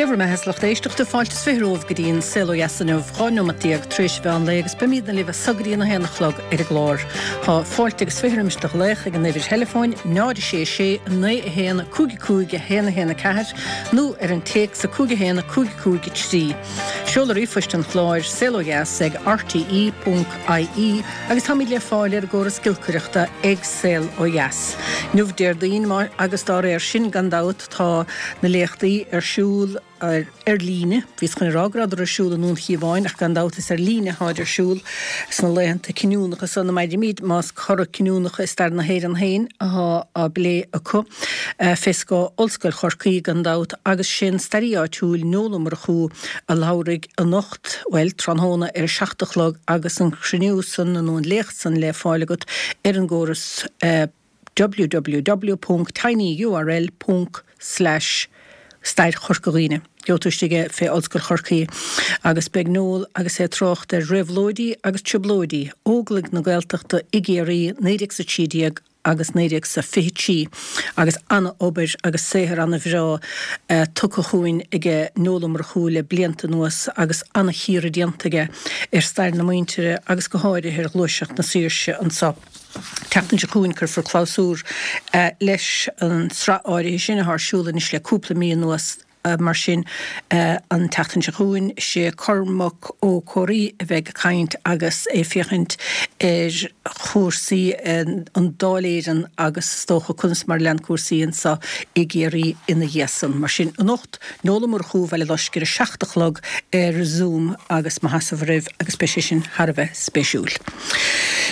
Dé bhur mbeatha, a lucht éisteachta, fáilte is 20 romhaibh go dtí an Saol Ó Dheas inniu, 12 neomat tar éis an mheán lae agus beimídne libh as so go dtí an 1 a chlog ar an gclár. Tá fáilte agus 20 roimis do ghlaoch ag an uimhir theileafóin 0 6 6 9 1 5 5 1 1 4 nó ar an téacs 5 1 5 5 3. Seoladh ríomhphoist an chláir, saolodheas ag rte ponc ie agus táimid le fáil ar an gcóras giolcaireachta ag Saol Ó Dheas. Inniu Déardaoin agus dá réir sin gan dabht tá na léachtaí ar siúl ar líne. Bhíos chun a rá go rabhadar ar siúl i nDún Chíomháin ach gan dabht is ar líne atáid ar siúl sna laethanta cinniúnacha so ina mairimid, más cora cinniúnacha i stair na hÉireann féin athá á bplé acu fé scáth Ollscoil Chorcaí gan dabht agus sé'n staraí áitiúil Noel Ó Murchú a labharfaidh anocht, bhuel, tráthnóna ar a 7 a chlog agus an cruinniú san nó an léacht san le fáil agat ar an gcóras www ponc tinyurl ponc slash Stair Chorca Dhuibhne. Gheobhaidh tú istigh é fé Ollscoil Chorcaí. Agus beidh Noel agus é ag trácht ar réabhlóidí agus trioblóidí Óglaigh na Gaeltachta i gCiarraí 1913 agus 1923 agus ana-obair agus saothar ana-bhreá tugtha chugainn aige Noel Ó Murchú le blianta anuas agus ana-chíoradh déanta aige ar stair na muintire agus go háirithe ar ghluaiseacht na saoirse anso. Tseachtain seo chugainn cuirfear clabhsúr leis an sraith áirithe sin atá ar siúl anois le cúpla mí anuas. Mar sin, an tseachtain seo chugainn, is é Cormac Ó Comhraí a bheidh ag caint agus é ag féachaint ar chúrsaí an Dáil Éireann agus is dócha conas mar a lean cúrsaí anseo i gCiarraí ina dhiaidh san. Mar sin, anocht, Noel Ó Murchú, Bhaile Loisc ar a 7 a chlog ar Zoom agus mo sheasamh roimh agus beidh sé sin thar a bheith spéisiúil.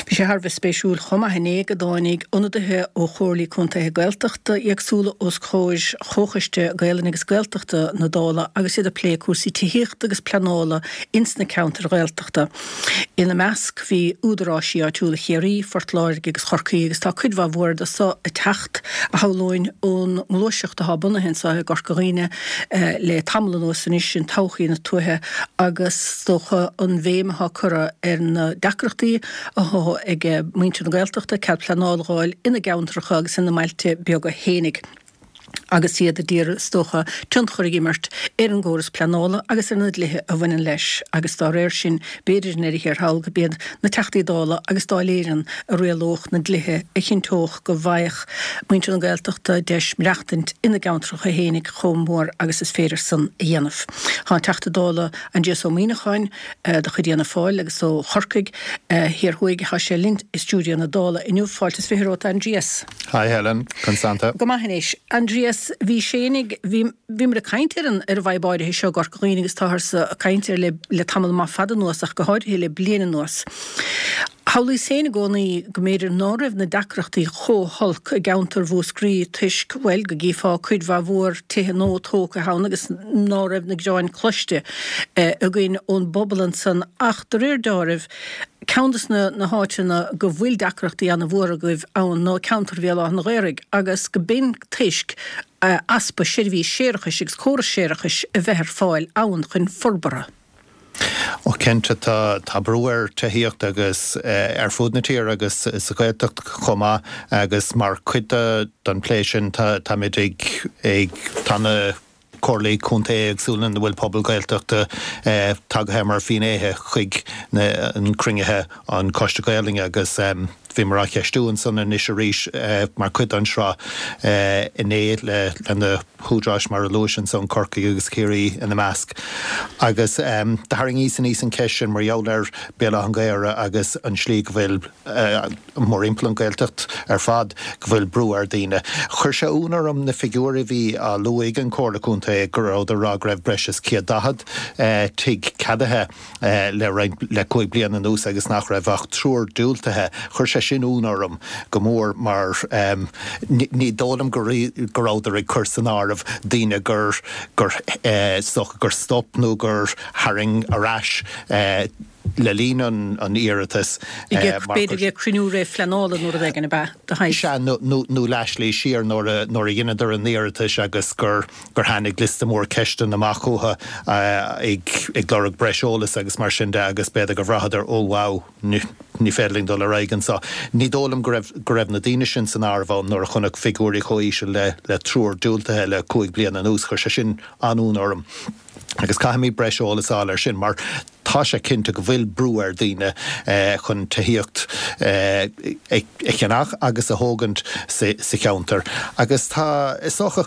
Bhí sé thar a bheith spéisiúil chomh maith inné go dtáinig ionadaithe ó Chomhairlí Contaetha Gaeltachta éagsúla os comhair Chomhchoiste Gaelainne agus Gaeltachta na Dála agus iad ag plé cúrsaí tithíochta agus pleanála ins na ceantair Ghaeltachta. Ina measc bhí údaráisí áitiúla Chiarraí, Phort Láirge agus Chorcaí agus tá cuid mhaith mhór de so ag teacht, a shamhlóinn, ón ngluaiseacht atá bunaithe anseo i gCorca Dhuibhne le tamall anuas anois, sin Todhchaí na Tuaithe agus is dócha an bhéim atá curtha ar na deacrachtaí atá ag muintir na Gaeltachta cead pleanála a dh'fháil ina gceantracha agus ina mbailte beaga fhéinig agus iad a d'iarraidh, is dócha, tionchar a dh'imirt ar an gcóras pleanála agus ar na dlíthe a bhaineann leis agus dá réir sin, b'fhéidir i ndeireadh thiar thall, go b'iad na Teachtaí Dála agus Dáil Éireann a rialódh na dlíthe a chinnteodh go bhfaigheadh muintir na Gaeltachta deis maireachtaint ina gceantracha fhéinig chomh mór agus is féidir san a dhéanamh. Tá an Teachta Dála Aindrias Ó Muimhneacháin de chuid Fhianna Fáil agus ó Chorcaigh Thiar Thuaidh, tá sé linn i stiúideo na Dála inniu. Fáilte is 20 romhat, a Aindrias. Hi Helen, conas tánn tú? Go maith anois. Aindrias, bhí Séinig, bhí, bhíomar ag caint ar an, ar an bhfadhb áirithe seo i gCorca Dhuibhne agus táthar ag caint air le, le tamall maith fada anuas ach go háirithe le bliain anuas. Shamhlaíos féin i gcónaí go mb'fhéidir ná raibh na deacrachtaí chomh holc i gceantar Mhúscraí toisc, bhuel, go gcífeá cuid mhaith mhór tithe nua tógtha ann agus ná raibh na gearáin cloiste againn ón bpobal ansan ach de réir deáraimh, ceann de na na háiteanna go bhfuil deacrachtaí ana-mhór agaibh ann ná ceantar Bhéal Átha an Ghaorthaidh agus go b'in toisc easpa seirbhís séarachais agus córas séarachais a bheith ar fáil ann chun forbartha. Ó cinnte, tá tá brú ar tithíocht agus ar fud na tíre agus sa Ghaeltacht chomh maith agus mar chuid de den plé sin tá táimid ag ag tá na comhairlí contae éagsúla ina bhfuil pobal Gaeltachta tagaithe mar fhinnéithe chuig na an cruinnithe an Coiste Gaelainne agus bhíomar á cheistiú ansan anois arís mar chuid den sraith inné le le na húdaráis mar a luais ansan, Corcaigh agus Ciarraí ina measc. Agus do tharraingíos aníos an cheist sin mar gheall ar Béal Átha an Ghaorthaidh agus an slí go bhfuil, mórthimpeall an Ghaeltacht ar fad, go bhfuil brú ar daoine. Chuir sé ionadh orm na figiúirí a bhí á lua ag an Chomhairle Contae go rabhadar ag rá go raibh breis is 140 tigh ceadaithe. le roinnt, le 5 bliana anuas agus nach raibh ach triúr diúltaithe. Chuir sé sin ionadh orm go mór mar ní dóigh liom go go rabhadar ag cur san áireamh daoine gur, gur, is dócha gur stop nó gur tharraing ar ais. le linn an iarratais. B'fhéidir ag cruinniú réamhphleanála nó rud éigin, ab ea, de shaghas? Sea, nó leathshlí siar nuair a dheineadar an iarratais agus gur tháinig liosta mór ceisteanna amach chucu ag lorg breis eolais agus mar sin de agus b'fhéidir gur bhraitheadar, oh wow, ní féidir linn dul ar aghaidh anseo. Ní dóigh liom go raibh go raibh na daoine sin san áireamh ann nuair a chonac figiúirí chomh híseal le triúr diúltaithe le 5 bliana anuas. Chuir sé sin an-ionadh orm. Agus caithfimid breis eolais a fháil air sin mar tá sé cinnte go bhfuil brú ar daoine chun tithíocht a cheannach agus a thógaint sa cheantar. Agus tá, is dócha,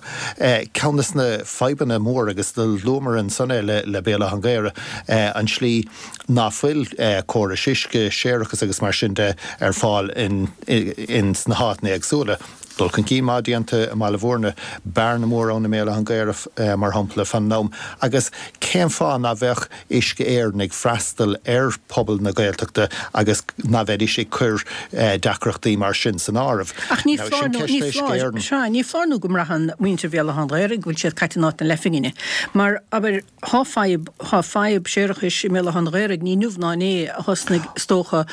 ceann de na fadhbanna mór, agus luamar ansan é le Béal Átha an Ghaorthaidh, an tslí ná fuil córais uisce, séarachas agus mar sin de ar fáil in sna háiteanna éagsúla. Dul chun cinn maith déanta i mBaile Bhúirne, bearna mór ann i mBéal Átha an Ghaorthaidh, mar shampla, fan an am. Agus cén fáth ná bheadh Uisce Éireann ag freastal ar phobal na Gaeltachta agus ná bheidís ag cur deacrachtaí mar sin san áireamh? Ach ní foláir nó, ní foláir, sea, ní foláir nó go mbraitheann muintir Bhéal Átha an Ghaorthaidh go bhfuil siad caite in áit na leathphingine. Mar, abair, thá fadhb, thá fadhb séarachais i mBéal Átha an Ghaorthaidh, ní inniu ná inné a thosnaigh, is dócha,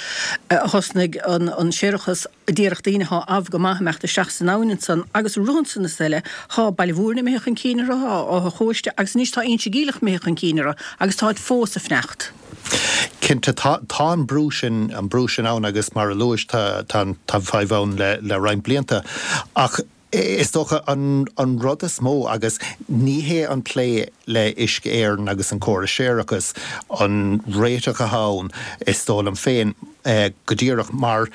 a thosnaigh an, an séarachas, Díreach daoine athá amh go maith imeacht isteach san abhainn ansan agus rud ansan is eile thá Baile Mhúirne imithe chun cinn orthu, thá Áth a' Chóiste agus anois tá Inse Geimhleach imithe chun cinn orthu agus táid fós a' fanacht. Cinnte, tá, tá an brú sin, an brú sin ann agus mar a luais tá, tá an, tá an fadhb ann le, le roinnt blianta. Ach is dócha an, an rud is mó agus ní hé an plé le Uisce Éireann agus an córas séarachais an réiteach atá ann, is dóigh liom féin, go díreach, mar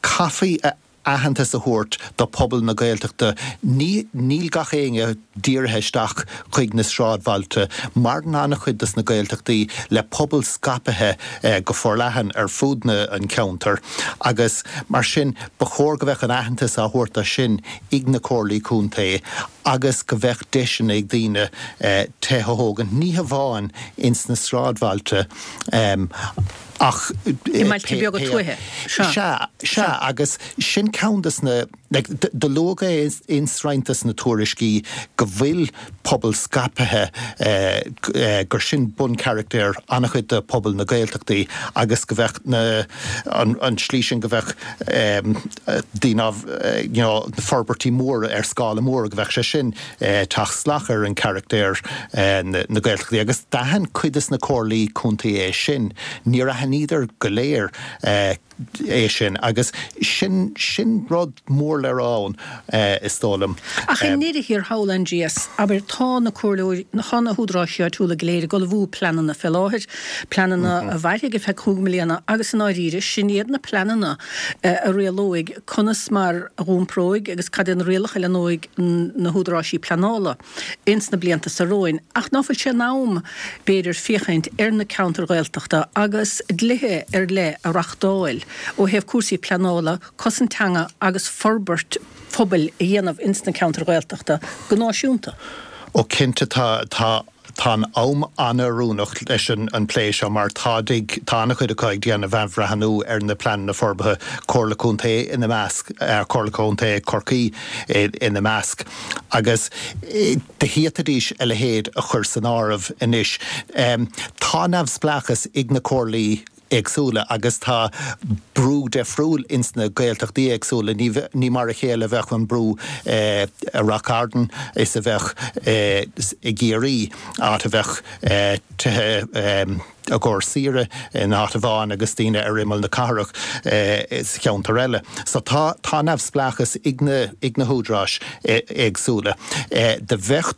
caithfí aitheantas a thabhairt do phobal na Gaeltachta. Ní, níl gach éinne dírithe isteach chuig na sráidbhailte. Maireann an-chuid dos na Gaeltachtaí le pobal scaipthe go forleathan ar fud na, an cheantair agus mar sin ba chóir go mbeadh an aitheantas á thabhairt do sin ag na comhairlí contae agus go mbeadh deiseanna ag daoine tithe a thógaint, ní hamháin ins na sráidbhailte ach I mbailte beaga tuaithe. Sea. Sea, agus sin ceann des na, like, do luadh é ins roinnt des na tuairiscí go bhfuil pobal scaipthe, gur sin buncharachtar an-chuid de phobal na Gaeltachtaí agus go mbeadh na, an tslí sin go mbeadh daoine á, you know, na forbairtí móra ar scála mór, go mbeadh sé sin ag teacht salach ar an charachtar na Gaeltachtaí agus d'aithin cuid des na comhairlí contae é sin. Níor aithníodar go léir é sin agus sin, sin rud mór le rá ann is dóigh liom. Ach i ndeireadh thiar thall, Aindrias, abair, tá na comhairleoirí, tá na húdaráis áitiúla go léir ag ullmhú pleananna fé láthair, pleananna a mhairfidh ar feadh chúig mbliana agus i ndáiríre, sin iad na pleananna a rialóidh conas mar a dh'iompróidh agus cad é na rialacha a leanóidh na húdaráisí pleanála ins na blianta so romhainn. Ach ná fuil sé in am, b'fhéidir, féachaint ar na ceantair Ghaeltachta agus dlíthe ar leith a reachtáil ó thaobh cúrsaí pleanála, cosaint teanga agus forbairt phobail a dhéanamh ins na ceantair Ghaeltachta go náisiúnta? Ó cinnte tá, tá. Tá an am an-oiriúnach leis an plé seo mar tá tá an-chuid acu ag déanamh athbhreathnú ar na pleananna forbartha, Comhairle Contae ina measc, Comhairle Contae Chorcaí ina measc, agus d'fhéadfaidís a leithéid a chur san áireamh anois. Tá neamhspleáchas ag na comhairlí éagsúla agus tá brú deifriúil ins na Gaeltachtaí éagsúla. Ní mar a chéile a bheadh an brú i Ráth Cairn is a bheadh i gCiarraí, áit a bheadh tithe i gcomhair saoire in áit amháin agus daoine ar imeall na cathrach sa cheantar eile. So tá tá neamhspleáchas ag na ag na húdaráis éagsúla. Do bheadh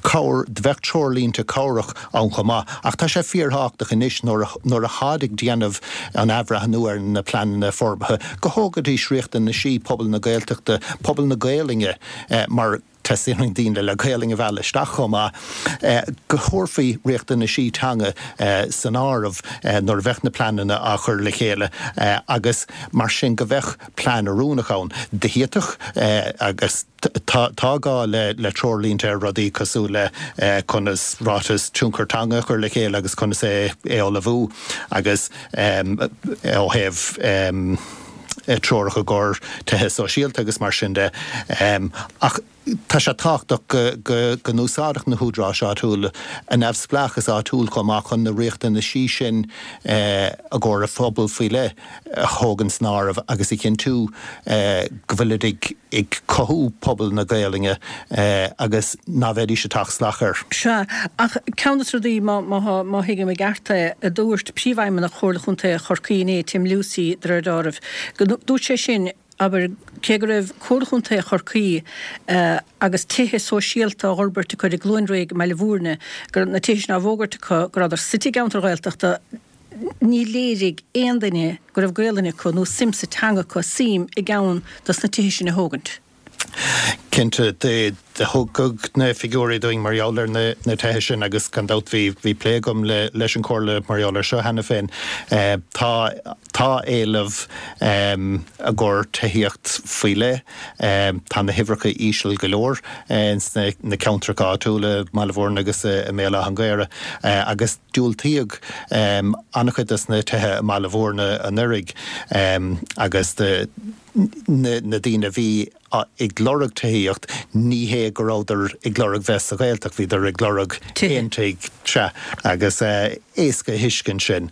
cabhair, bheadh treoirlínte cabhrach ann chomh maith, ach tá sé fíorthábhachtach anois nuair a nuair atáid ag déanamh an athbhreathnú ar na pleananna forbartha go thógaidís riachtanaisí pobal na Gaeltachta, pobal na Gaelainne mar teastaíonn daoine le Gaelainn a mhealladh isteach chomh maith, go thabharfaí riachtanaisí teanga san áireamh nuair a bheadh na pleananna á chur le chéile agus mar sin go bheadh plean oiriúnach ann. D'fhéadfadh agus. Tá gá le treoirlínte ar rudaí cosúil le conas ráiteas tionchar teanga a chur le chéile agus conas é a ullmhú agus ó thaobh treoracha i gcomhair tithe sóisialta agus mar sin de. Ach. Tá sé tábhachtach go n-úsáidfeadh na húdaráis áitiúla a neamhspleáchas áitiúil chomh maith chun na riachtanaisí sin i gcomhair a phobal faoi leith a thógaint san áireamh agus a chinntiú go bhfuilid ag cothú pobal na Gaolainne agus ná bheidís ag teacht salach air. Sea, ach ceann de na rudaí, má thuigim i gceart é, a dúirt Príomhfheidhmeannach Chomhairle Chontae Chorcaí inné, Tim Lucey, de réir dealraimh, go dúirt sé sin, Abair, cé go raibh Comhairle Chontae Chorcaí agus tithe sóisialta á bhforbairt acu i gCluain Fhraoigh i mBaile Bhúirne, go raibh na tithe sin á bhfógairt acu, go rabhadar suite i gceantar Ghaeltachta, ní léirigh aon duine go raibh Gaolainn acu nó suim sa teanga acu suim i gceann dos na tithe sin a thógaint. Cinnte, do thugadh na figiúirí dúinn mar gheall ar na tithe sin agus gan dabht bhí plé agam leis an Chomhairle mar gheall air seo cheana féin. Tá tá éileamh i gcomhair tithíocht faoi leith. Tá na huimhreacha íseal go leor ins na ceantracha áitiúla, i mBaile Bhúirne agus i mBéal Átha an Ghaorthaidh agus diúltaíodh an-chuid des na tithe i mBaile Bhúirne anuraidh agus na daoine a bhí ag lorg tithíocht, ní hé go rabhadar ag lorg bheith sa Ghaeltacht, bhíodar ag lorg aon tigh, sea, agus éasca a thuiscint sin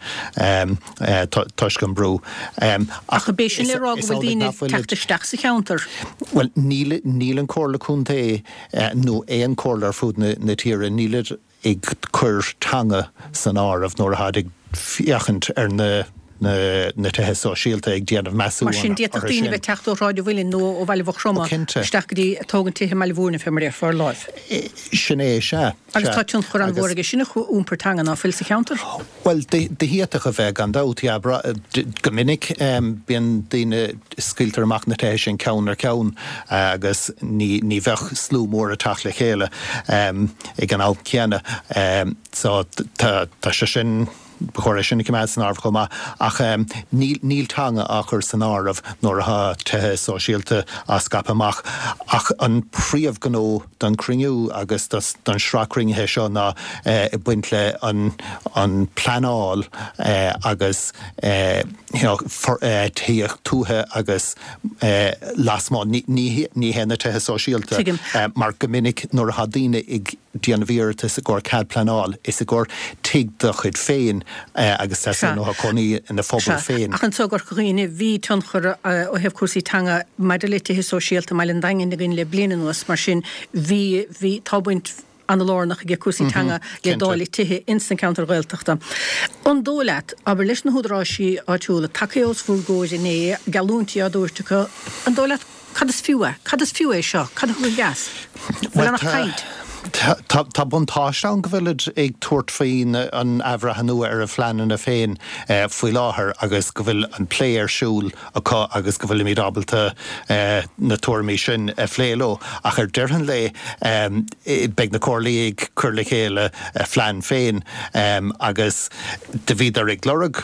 toisc an brú. Ach ab é sin le rá go bhfuil daoine ag teacht isteach sa cheantar? Bhuel, níl, níl an Comhairle Contae nó aon chomhairle ar fud na tíre, nílid ag cur teanga san áireamh nuair atáid ag féachaint ar na na tithe sóisialta, ag déanamh measúnú Mar sin, d'fhéadfadh orthu daoine a sin. bheith ag teacht ó Shráid an Mhuilinn nó ó Bhaile Mhaigh Chromtha Cinnte. isteach go dtí ag tógaint tithe i mBaile Bhúirne, fé mar a déarfá, ar láimh. Sin é, sea, Agus sea. tá tionchar Agus. an-mhór aige sin ar iompar teanga, ná fuil sa cheantar? Bhuel, d'fhéadfadh a bheith, gan dabht, yeah. Go minic, bíonn daoine, scaoiltear amach na tithe sin ceann ar cheann agus ní bheadh slua mór ag teacht le chéile ag an am céanna. So, tá sé sin, ba chóir é sin a choimeád san áireamh chomh maith. Ach níl teanga á chur san áireamh nuair atá tithe sóisialta á scaipeadh amach. Ach an príomhghnó don chruinniú agus don sraith cruinnithe seo ná ag baint le an an pleanáil agus you know tithíocht tuaithe agus lasmuigh. Ní hé na tithe sóisialta mar go minic nuair atá daoine ag déanamh iarratas i gcomhair cead pleanáil, is i gcomhair tigh dá chuid féin agus teastaíonn uathu cónaí ina phobal féin. Ach anseo i gCorca Dhuibhne, bhí tionchar ó thaobh cúrsaí teanga maidir le tithe sóisialta i mBaile an Daingin againn le bliain anuas, mar sin bhí, bhí, tá baint an-lárnach ag cúrsaí teanga le dáileadh tithe ins na ceantair Ghaeltachta. An dóigh leat, abair, leis na húdaráisí áitiúla tagtha os bhur gcomhair inné, geallúintí á dtabhairt acu, an dóigh leat, Cad is fiú é? Cad is fiú é seo? Cad a thug an gas? Bhfuil ann ach caint? Tá buntáiste ann go bhfuilid ag tabhairt faoin an athbhreithniú ar a phleananna féin faoi láthair agus go bhfuil an plé ar siúl acu agus go bhfuilimid ábalta na tuairimí sin a phlé leo. Ach ar deireadh an lae beidh na comhairlí ag cur le chéile a phlean féin agus do bhíodar ag lorg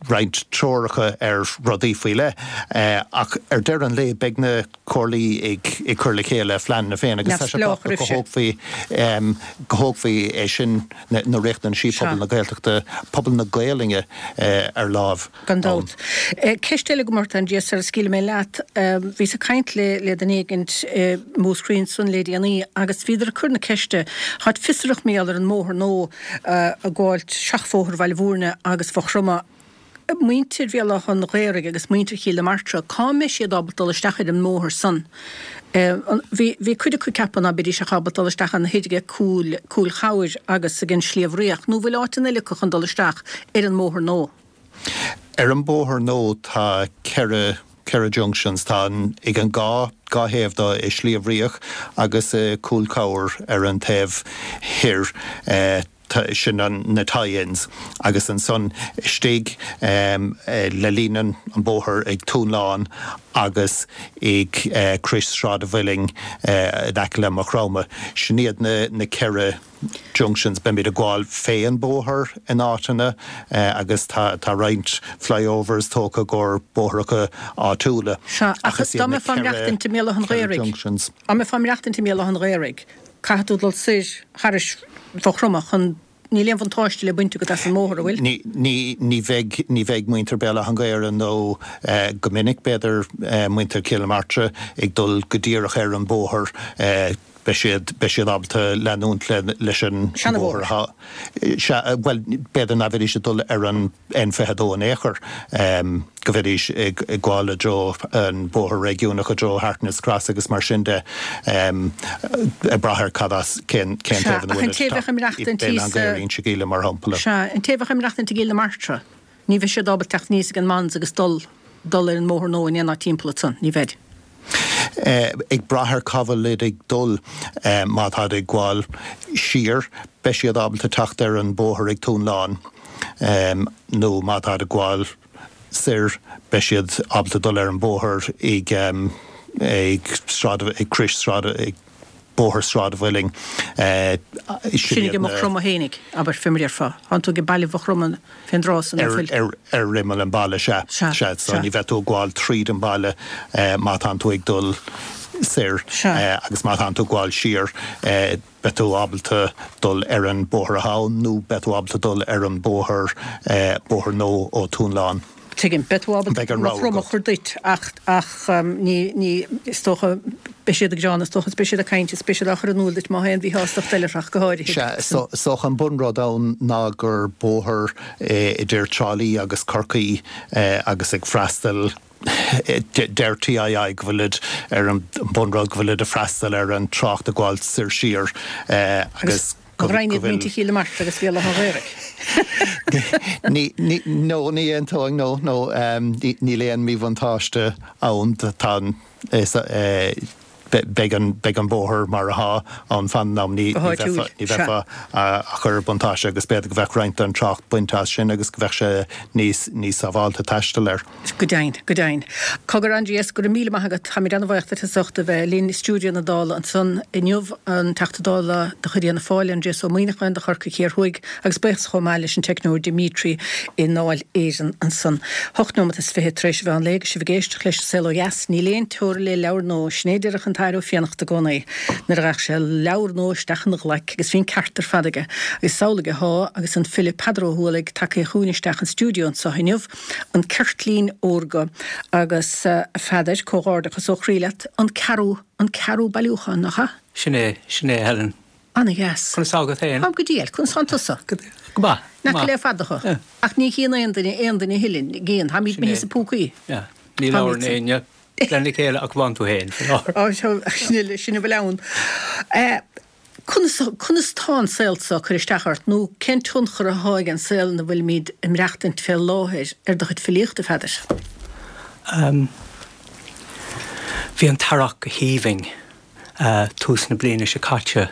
roinnt treoracha ar rudaí faoi leith, ach ar deireadh an lae beidh na comhairlí ag cur le chéile a phleananna féin agus tá sé tábhachtach go thógfaí go thógfaí é sin, na riachtanaisí pobal na Gaeltachta, pobal na Gaolainne ar láimh. Gan dabht. Ceist eile agam ort, Aindrias, sara scaoilfidh mé leat. Bhíos ag caint le le duine éigint i Múscraí ansan le déanaí agus bhíodar ag cur na ceiste, táid fiosrach mar gheall ar an mbóthar nua ag gabháilt seachbhóthar Bhaile Bhúirne agus Mhaigh Chromtha, muintir Bhéal Átha an Ghaorthaidh agus muintir Chill na Martra, cá mbeidh siad ábalta dul isteach ar an mbóthar san? Bhí, bhí cuid acu ag ceapadh ná beidís ach ábalta dul isteach ann thoir ag Cúil, Cúil Chabhair agus ag an Sliabh Riach, nó bhfuil áiteanna eile acu chun dul isteach ar an mbóthar nua? Ar an mbóthar nua tá 4, 4 junctions, tá an, ag an dhá, dhá thaobh de, i Sliabh Riach agus i Cúil Chabhair ar an taobh thoir, sin an, na tie-ins agus ansan istigh le linn an bóthar ag Tóin Lán agus ag Crois Sráid an Mhuilinn in aice le Maigh Chromtha. Sin iad na, na 4. junctions, beimid ag gabháil fé an bóthar in áiteanna agus tá tá roinnt flyovers tógtha i gcomhair bóithreacha áitiúla Sea, ach ach is dá iad na mbeifeá ag maireachtaint i mBéal Átha an 4 Ghaorthaidh, junctions. dá mbeifeá ag maireachtaint i mBéal Átha an Ghaorthaidh, caithfidh tú dul soir thairis Mhaigh Chromtha chun. Níl aon bhuntáiste le baint agat as an mbóthar, an bhfuil? Ní, ní, ní bheidh, ní bheidh muintir Béal Átha an Ghaorthaidh nó go minic, b'fhéidir, muintir Chill na Martra ag dul go díreach ar an bhóthar. Beidh siad, beidh siad ábalta leanúint le, leis an bhóthar atá, sea, bhuel, b'fhéidir nach mbeidís ag dul ar an N22 in aon chor, go mbeidís ag gabháil i dtreo an bóthar réigiúnach i dtreo Harkness Cross agus mar sin de, ag brath ar cad as, cén, cén taobh ina bhfuil siad ag teacht, Béal Átha an Ghaorthaidh, Inse Gíle mar shampla. Sea, an té a bheadh ag maireachtaint i gCill na Martra, Ní bheidh siad ábalta teacht aníos ag an Mons agus dul dul ar an mbóthar nua in aon áit timpeall ansan. Ní bheid. Ag brath ar cá bhfuilid ag dul, má táid ag gabháil siar, beidh siad ábalta teacht ar an bóthar ag Tóin Lán, nó má táid ag gabháil soir, beidh siad ábalta dul ar an bóthar ag ag Sráid, ag Crois Sráid, ag. Bóthar Sráid an Mhuilinn. Sin ag Maigh Chromtha fhéinig, abair, fé mar a déarfá. Tánn tú ag baile Mhaigh Chromtha fén dtráth san, nach bhfuil? Ar imeall an bhaile, sea. Sea, sea. So ní bheidh tú ag gabháil tríd an bhaile má tánn tú ag dul soir. Sea. Agus má tánn tú ag gabháil siar, beidh tú ábalta dul ar an bóthar atá ann nó beidh tú ábalta dul ar an bóthar, bóthar nua ó Tóin Lán. Tuigim. Beidh tú ábalta Beidh an Maigh rogha Chromtha a agat. chur duit ach, ach ní, ní, is dócha, beidh siad ag gearán, is dócha, is beidh siad ag caint is beidh siad á chur in iúl duit má tá aon mhíshástacht eile ach go háirithe. Sea, so, is dócha an bunrud ann ná gur bóthar idir Trá Lí agus Corcaigh agus ag freastal, deir TII go bhfuilid ar an bunrud go bhfuilid ag freastal ar an trácht ag gabháil soir siar agus Go bhfuil. Go roinnfidh muintir Chill na Martra agus Bhéal Átha an Ghaorthaidh. Ní, ní, no, ní aontóinn, no, no, níl aon míbhuntáiste ann, tá an, is, beidh an, beidh an bóthar mar atá ann fan an am, ní, Go ní háitiúil, bheifeá, ní sea. bheifeá á chur buntáiste agus b'fhéidir go bheadh roinnt den trácht bainte as sin agus go bheadh sé níos, níos sábháilte taisteal air. Go deimhin, go deimhin. Cogar, Aindrias, go raibh míle maith agat. Táimid ana-bhaoch duit as ucht a bheith linn i stiúideo na Dála ansan inniu, an Teachta Dála de chuid Fhianna Fáil, Aindrias Ó Muimhneacháin do Chorcaigh Thiar Thuaidh, agus buíochas chomh maith leis an teicneoir Dimitri i nDáil Éireann ansan. Hocht nóimeat is fiche tar éis an mheán lae agus sibh ag éisteacht leis An Saol Ó Dheas. Níl aon teora le leabhar nua, sin é a deireadh an tAthair Ó Fiannachta i gcónaí nuair a ghabhadh sé leabhar nua isteach ina ghlaic agus bhí an ceart ar fad aige. Agus is amhlaidh athá agus an file Peadar Ó hUallaigh tagtha chugainn isteach an stiúideo anso inniu. An Ceirtlín Órga agus, a Pheadair, comhghairdeachas ó chroí leat, an ceathrú, an ceathrú bailiúchán, nach ea? Sin é, sin é, a Helen. Ana-dheas. Conas tá agat féin? Táim go diail, conas tánn tusa? Go maith, Nach go maith. le fada thu. Ach ní chíonn aon duine aon duine a thuilleadh, gcíonn, táimid Sin imithe é. sa púcaí. Yeah. Ní labhrann éinne lena chéile ach amháin tú féin, faoi láthair. Á, sin, sin a bhfuil ann. Conas, conas tá an saol seo ag cur isteach ort, nó cén tionchar athá ag an saol ina bhfuilimid ag maireachtaint fé láthair ar do chuid filíochta, a Pheadair? Bhí an t-earrach go haoibhinn tús na bliana seo caite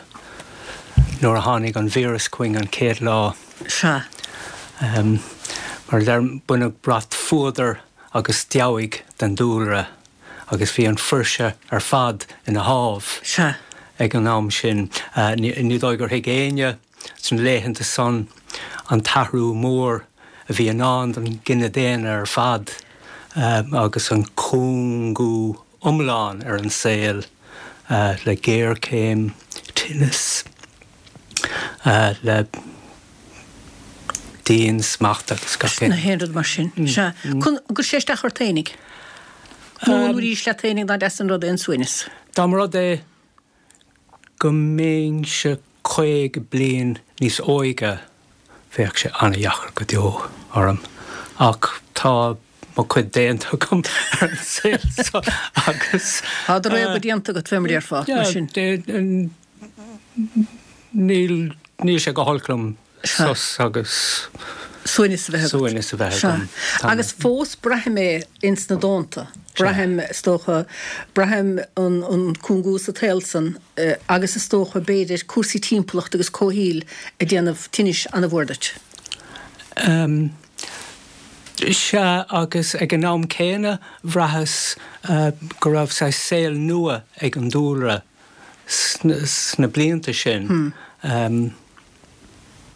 nuair a tháinig an víreas chugainn an chéad lá. Sea. Mar a deirim, baineadh brat fuadair agus deabhaidh den dúlra. agus bhí an fuirse ar fad ina thámh Sea. ag an am sin. Ní dóigh gur thuig éinne sna laethanta san an t-athrú mór a bhí i ndán don gcine daonna ar fad agus an cúngú iomlán ar an saol le géarchéim, tinneas. le diansmacht agus gach aon. Na haon rud mar sin. Sea. An gcuir sé isteach ort fhéinig? Nó an arís leat fhéinig ná deas an rud é an suaimhneas? Dá mba rud é go mbeinnse 50 bliain níos óige bheadh sé an-dheacair go deo orm. Ach tá mo chuid déanta agam ar an saol seo agus. Tá do réabadh déanta agat fé mar a déarfá, mar sin. Níl, níl sé go holc liom sos agus. Suaimhneas a bheith agat. Suaimhneas a bheith agam. Sea. Agus fós braithim é ins na dánta. Braithim, is dócha, braithim an, an cúngú sa tsaol san agus is dócha, b'fhéidir, cúrsaí timpeallachta agus comhshaoil ag déanamh tinnis an-mhór duit. Sea, agus ag an am céanna bhraitheas go raibh saghas saol nua ag an dúlra. sna blianta sin.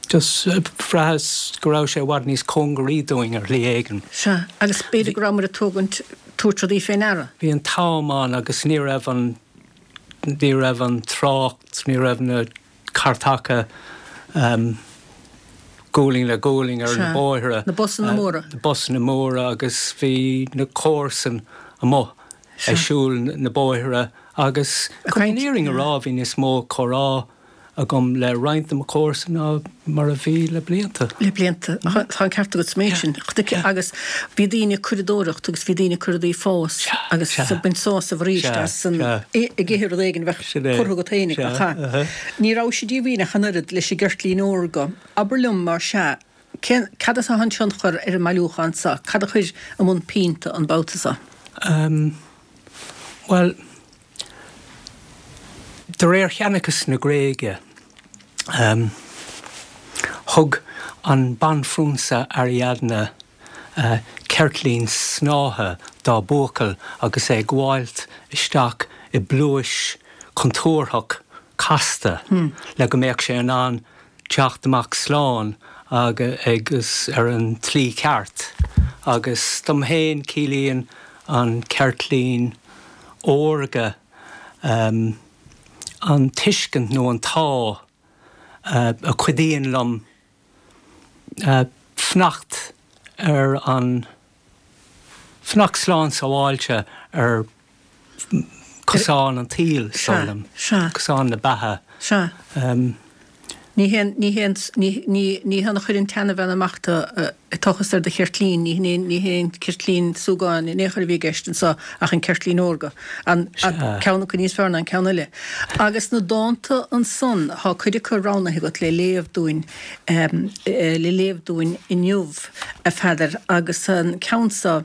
Just bhraitheas go raibh sé i bhfad níos cóngaraí dúinn ar shlí éigin. Sea, agus b'fhéidir go rabhamar ag tógaint, tabhairt rudaí fé ndeara. Bhí an t-am ann agus ní raibh an, ní raibh an trácht, ní raibh na cairteacha. Gualainn le gualainn ar na bóithre. Na busanna móra. Na busanna móra agus bhí na comharsain amuigh ag siúl na bóithre agus chun an fhírinne a rá bhí níos mó comhrá agam le roinnt de mo chomharsain ná mar a bhí le blianta. Le blianta. Tá an ceart agat sa méid sin. Agus bhí daoine ag curadóireacht agus bhí daoine ag cur rudaí ag fás agus ag baint sásamh arís as an ag ithe rud éigin a bheadh curtha agat féinig, nach ea? Ní rabhais díomhaoin ach an oiread leis an gceirtlín órga. Abair liom, mar sea, cén, cad as atá an tionchar ar an mbailiúchán seo? Cad a chuir i mbun pinn tú an babhta seo? Bhuel, De réir sheanchas na Gréige, thug an banphrionsa Ariadne ceirtlín snáithe dá buachaill agus é ag gabháilt isteach i bpluais chontúirteach casta le go mbeadh sé in ann teacht amach slán agus ar an tslí cheart. Agus dom féin, ciallaíonn an ceirtlín órga an tuiscint nó an t-ádh a chuidíonn liom fanacht ar an, fanacht slán sábháilte ar chosán an tsaoil, is dóigh liom, cosán na beatha. Sea. Ní hé, ní hé, ní, ní hann a chuir an tseanbhean amach tú ag tochas ar do cheirtlín, ní hin, ní hé an ceirtlín súgáin in aon chor a bhí i gceist anso ach an ceirtlín órga. An, ceann acu níos fearr ná an ceann eile. Agus na dánta ansan, thá cuid acu roghnaithe agat le léamh dúinn, le léamh dúinn inniu, a Pheadair, agus an ceann so,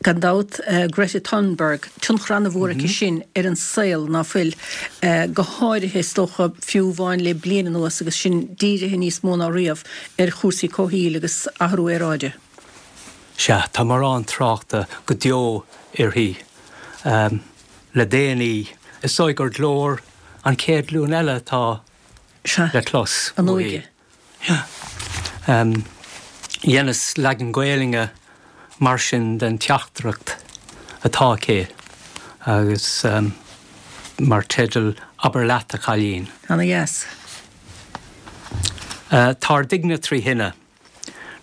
Gan dabht, Greta Thunberg, tionchar an-mhór aici sin ar an saol, ná fuil? Go háirithe, is dócha, fiú amháin le bliain anuas agus sinn dírithe níos mó ná riamh ar chúrsaí comhshaoil agus athrú aeráide. Sea, tá mórán tráchta go deo uirthi le déanaí. Is dóigh gur glór an chéad ghlúin eile atá le clos uaithi. An óige. Dheineas leagan Gaelainne mar sin den teachtaireacht atá aici agus mar teideal 'Abair Leat, a Chailín'. Ana dheas. Tá ár dtighne tri thine.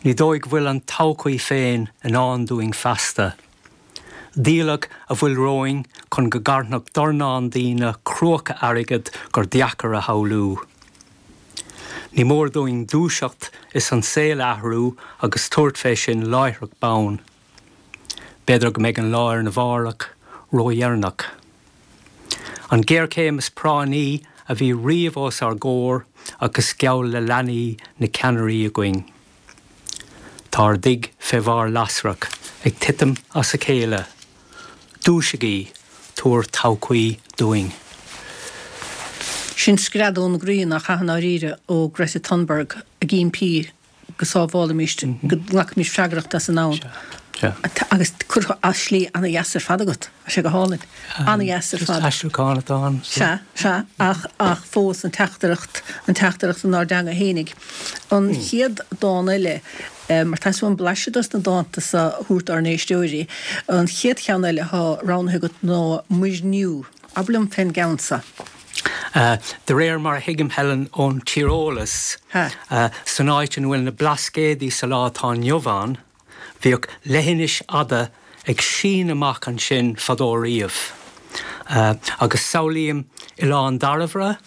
Ní dóigh go bhfuil an todhchaí féin i ndán dúinn feasta. Díoladh a bhfuil romhainn chun go gcarnfadh dornán daoine cruacha airgid gur deacair a shamhlú. Ní mór dúinn dúiseacht is an saol a athrú agus tabhairt fé sin láithreach bonn. B'fhéidir go mbeidh an lá ar na mhárach ródheireanach. An ghéarchéim is práinní a bhí riamh os ár gcomhair agus geall le leanaí na ceannairí againn. Tá ár dtigh fé bharr lasrach ag titim as a chéile. Dúisigí, tabhair todhchaí dúinn. Sin scread ón gcroí, nach ea, i ndáiríre, ó Greta Thunberg ag impí go sábhálaimis, go nglacaimis freagracht as an ndomhan. Agus curtha as slí ana-dheas ar fad agat. Tá sé go hálainn. Ana-dheas ar fad. Aistriúchán atá ann. Sea, sea, ach, ach fós an teachtaireacht, an teachtaireacht inár dteanga fhéinig. An chéad dán eile, mar tá uaim blaiseadh dos na dánta so a thabhairt dár n-éisteoirí, an chéad cheann eile atá roghnaithe agat ná Muirniú. Abair liom fén gceann so. De réir mar a thuigim, Helen, ón tíreolas, san áit ina bhfuil na Blascaodaí sa lá atá inniu ann, bhíodh leithinis fhada ag síneadh amach ansin fadó riamh. Agus samhlaím Oileán Dairbhre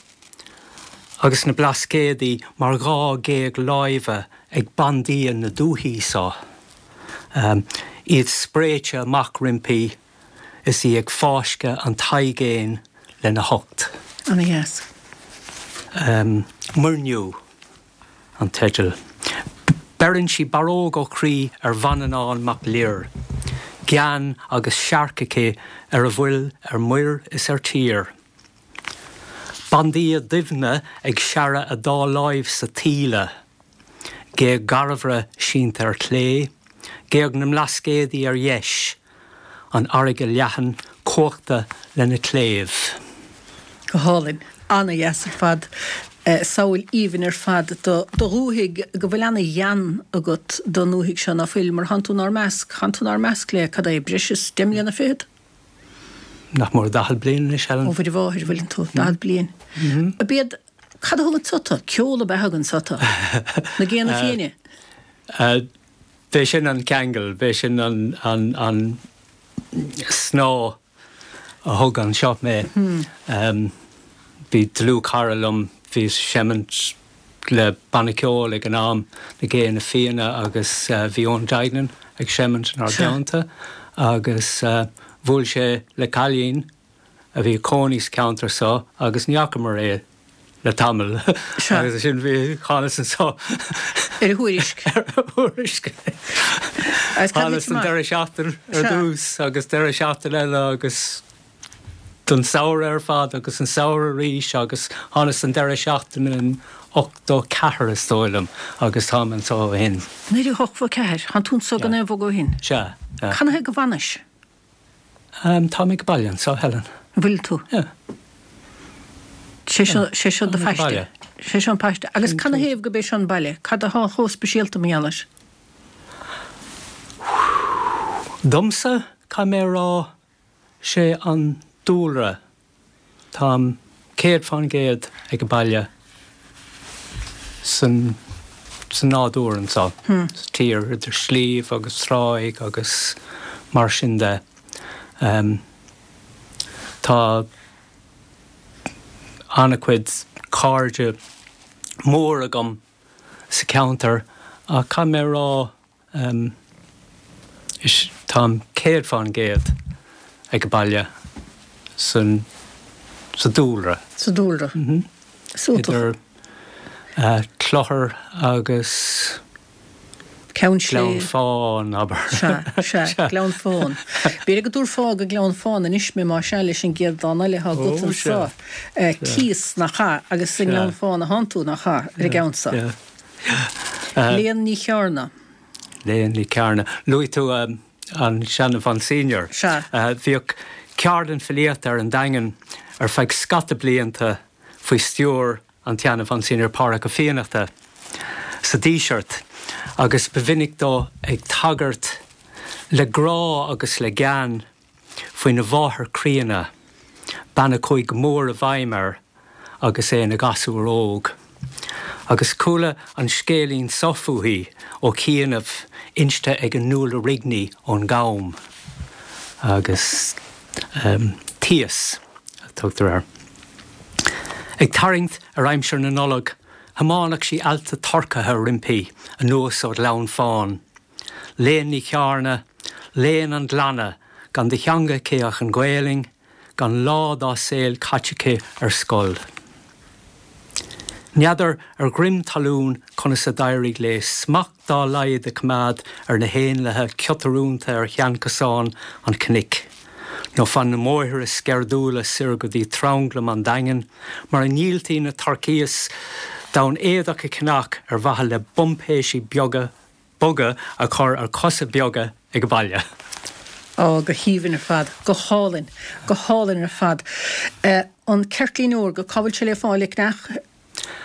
agus na Blascaodaí mar dhá ghéag láimhe ag bandia na dúichí so, iad spréite amach roimpi is í ag fáisceadh an t-aigéin lena hucht. Ana dheas. Muirniú an teideal. Beireann sí barróg ó chroí ar Mhanannán Mac Lir, gean agus searc aici ar a bhfuil ar muir is ar tír. Bandia Duibhne ag searradh a dá láimh sa taoille, géag Dhairbhre sínte ar chlé, géag na mBlascaodaí ar dheis, an fharraige leathan cuachta lena cléibh. Go hálainn. Ana-dheas ar fad. Samhail aoibhinn ar fad do dhúthaigh go bhfuil ana-ghean agat don ndúthaigh seo, ná fuil? Mar thánn tú inár measc, thánn tú inár measc le, cad é, breis is deich mbliana fichead? Nach mór 40 bliain anois, Helen. Ó Mhuire Mháthair, bhfuileann tú, 40 bliain. Ab iad. Cad a thug anso tú? Ceol ab ea a thug anso tú? Na Géanna Fiaine? B'é sin an ceangal, b'é sin an an snáth a thug anseo mé. Bhí dlúthchara liom, bhíos ag seimint le banna ceoil ag an am, Na Géanna Fiaine agus bhí Eoin Duignan ag seimint inár dteannta agus bhuail sé le cailín a bhí ag cónaí sa cheantar so agus ní fhacamar é le tamall agus ansin bhí thánas anso ar a thuairisc. Ar a thuairisc. Thánas don deireadh seachtain ar dtús agus deireadh seachtain eile agus don samhradh ar fad agus an samhradh arís agus thánas don deireadh seachtaine in 84 is dóigh liom agus táim anso ó shin. 1984, Tánn tú anso gan aon bhogadh ó shin? Sea. Canathaobh go bhfanais? Táim ag baile anso, Helen. An bhfuil tú? Yeah. Sé seo, sé seo do phaiste. Sé seo an paiste. Agus canathaobh gurb é seo an baile? Cad atá chomh speisialta mar gheall air? Domsa, caithfidh mé a rá, sé an dúlra. Táim 100% ag baile san nádúr anso, sa tír, idir sliabh agus tráigh agus mar sin de. Tá an-chuid cairde mór agam sa cheantar ach caithfidh mé a rá, Is táim 100% ag baile san sa dúlra. Sa dúlra. Idir Clochar agus Ceann Sléibhe. Gleann Fáin, abair. Sea, sea, Gleann Fáin. B'fhéidir go dtabharfá go Gleann Fáin anois mé más ea leis an gcéad dán eile atá agat anso. Tíos, nach ea? Agus sa nGleann Fáin atánn tú, nach ea, ar an gceann so. Léan Ní Chearna. Léan Ní Chearna. Luaigh tú an seana-Mhonsenior. Sea. Bhíodh ceardlann filíochta ar an Daingean ar feadh scata blianta faoi stiúir an tseana-Mhonsenior Pádhraic Ó Fiannachta sa Díseart agus ba mhinic dó ag tagairt le grá agus le gean faoina mháthair chríonna, bean a chuaigh go mór i bhfeidhm air agus é ina ghasúr óg. Agus chuala an scéilín so fúithi ó chianaibh, inste ag Nuala Rigney ón gCam. Agus Tíos a tugtar air. Ag tarraingt ar aimsir na Nollag, thiomáineadh sí ealta turcaithe roimpi anuas ó Ghleann Fáin. Léan Ní Chearna, léan an ghleanna, gan de theanga aici ach an Ghaelainn, gan lá dá saol caite aici ar scoil. N'fheadar ar dhroim talún conas a d'éirigh léi smacht dá laghad a choimeád ar na héanlaithe ciotarúnta ar sheanchosán an chnoic, nó fan na mbóithre sceirdiúla soir go dtí tranglam an Daingin, mar a ndíoltaí na turkeys d'fhonn éadach a cheannach ar mhaithe le buimpéisí beaga boga a chur ar chosa beaga ag baile. Á, go haoibhinn ar fad. Go hálainn. Go hálainn ar fad. An Ceirtlín Órga, cá bhfuil sé le fáil ag neach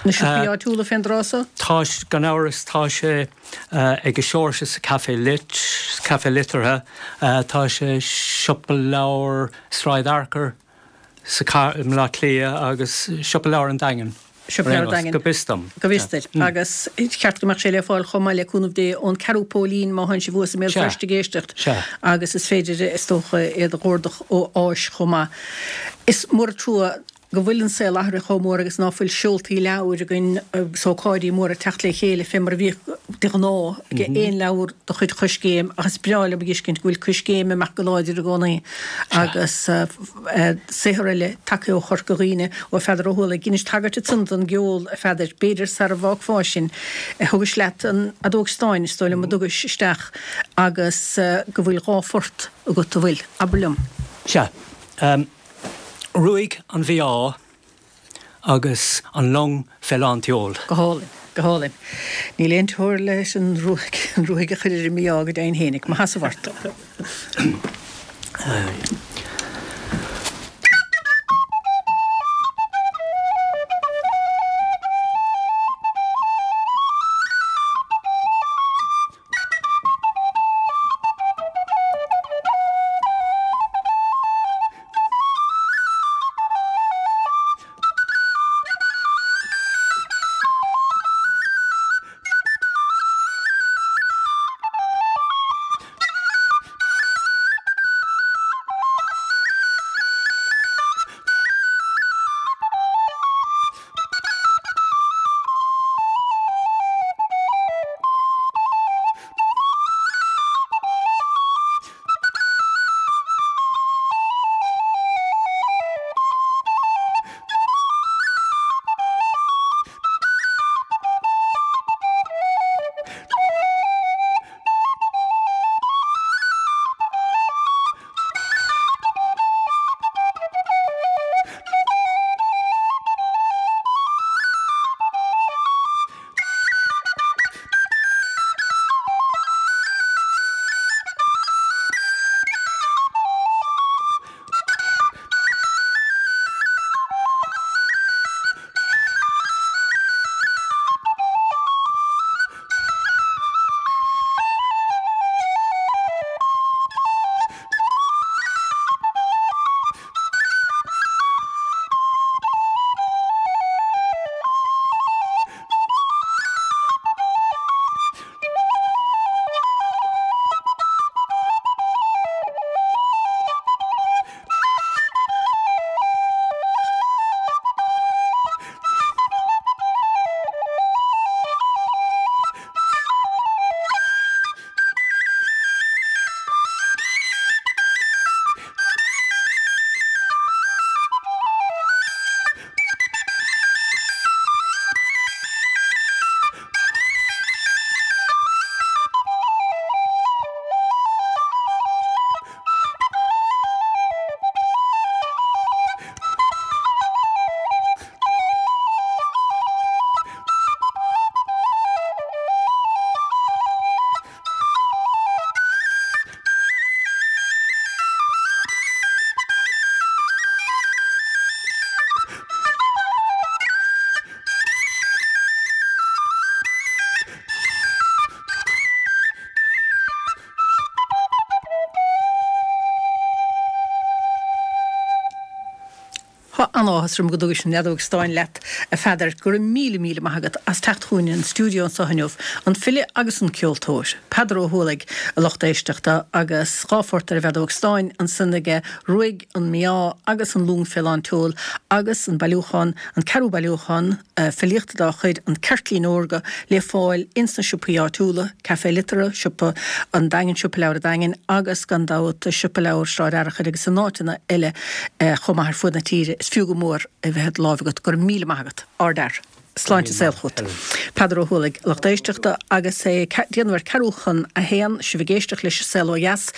na siopaí áitiúla fén dtráth so? Tá, gan amhras, tá sé ag Seoirse sa Café Lit, Café Liteartha, tá sé Siopa Leabhar Sráid Fhearchair, sa i mBaile Átha Cliath agus Siopa Leabhar an Daingin. Siopa Leabhar an Daingin. Go bhfios dom. Go bhfios duit. Agus is ceart go mbeadh sé le fáil chomh maith le cúnamh Dé ón Ceathrú Póilín má thánn sibh thuas i mBéal Feirste ag éisteacht. Sea. Agus is féidir, is dócha, iad a dh'ordach ó Áis chomh maith. Is mór an trua go bhfuil an saol athraithe chomh mór agus ná fuil seoltaí leabhair againn agus ócáidí móra ag teacht le chéile fé mar a bhíodh de ghnáth ag aon leabhar de chuid Choiscéim ach is breá liom a dh'fheiscint go bhfuil Coiscéim ag imeacht go láidir i gcónaí agus saothar eile tagtha ó Chorca Dhuibhne, ó Pheadar Ó hUallaigh. Dheinis tagairt ansan don gceol, a Pheadair. B'fhéidir sara bhfágfá sinn, thugais leat an fheadóg stáin, is dóigh liom, a dtugais isteach agus go bhfuil dha phort agat, a bhfuil? Abair liom. Sea. Ruaig an Mhí-Ádh agus An Long fé lán tseoil. Go hálainn. Go hálainn. Níl aon teora leis an ruaig, an ruaig a chur ar an mí-ádh go deimhin fhéinig. Mo sheasamh ort. Tá an-áthas orm go dtugais an fheadóg stáin leat, a Pheadair. Go raibh míle, míle maith agat as teacht chugainn an stiúideo anseo inniu, an file agus an ceoltóir, Peadar Ó hUallaigh, a lucht éisteachta, agus dha phort ar an bhfeadóg stáin ansan aige, Ruaig an Mí-Ádh agus An Lúng fé Lán tSeoil agus an bailiúchán, an ceathrú bailiúchán, filíochta dá chuid, An Ceirtlín Órga, le fáil ins na siopaí áitiúla, Café Liteartha, Siopa an Daingin, Siopa Leabhar an Daingin agus, gan dabht, Siopa Leabhar Sráid Fhearchair agus in áiteanna eile chomh maith ar fuaid na tíre. Is fiú go mór é bheith i do láimh agat. Go raibh míle maith agat. Ardfhear. Sláinte is saol chugat. Peadar Ó hUallaigh, lucht éisteachta, agus é ag déanamh ar ceathrú chun a haon, sibh ag éisteacht leis an Saol Ó Dheas.